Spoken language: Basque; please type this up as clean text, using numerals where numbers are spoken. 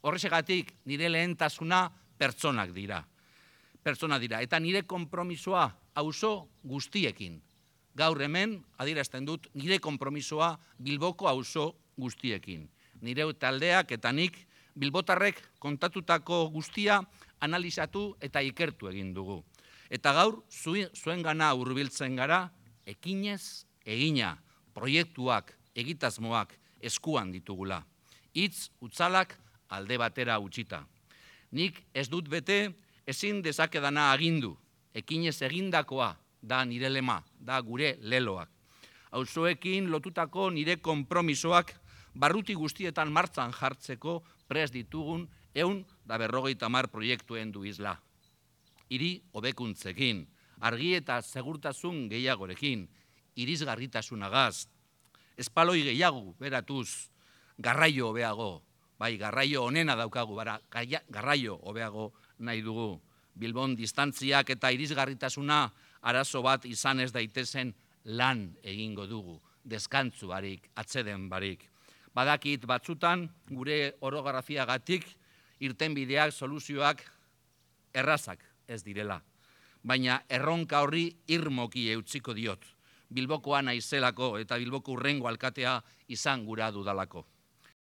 Horrexegatik nire lehentasuna pertsonak dira. Eta nire konpromisoa auzo guztiekin. Gaur hemen, adierazten dut, nire konpromisoa Bilboko auzo guztiekin. Nire taldeak eta nik bilbotarrek kontatutako guztia analizatu eta ikertu egin dugu. Eta gaur, zuengana hurbiltzen gara, ekinez egina, proiektuak, egitasmoak eskuan ditugula. Hitz utzalak alde batera utzita. Nik ez dut bete ezin dezakedana agindu, ekinez egindakoa da nire lema, da gure leloak. Auzoekin lotutako nire konpromisoak barruti guztietan martzan jartzeko prest ditugun 150 proiektuen du isla. Hiri hobekuntzekin, argi eta segurtasun gehiagorekin, irisgarritasunagaz, espaloi gehiago beratuz, garraio hobeago, bai, garraio onena daukagu, garraio hobeago nahi dugu. Bilbon distantziak eta irisgarritasuna arazo bat izan ez daitezen lan egingo dugu, deskantzu barik, atseden barik. Badakit batzutan, gure orografiagatik, irtenbideak, soluzioak errazak ez direla. Baina erronka horri irmoki eutsiko diot. Bilbokoa naizelako eta Bilboko hurrengo alkatea izan gura dudalako.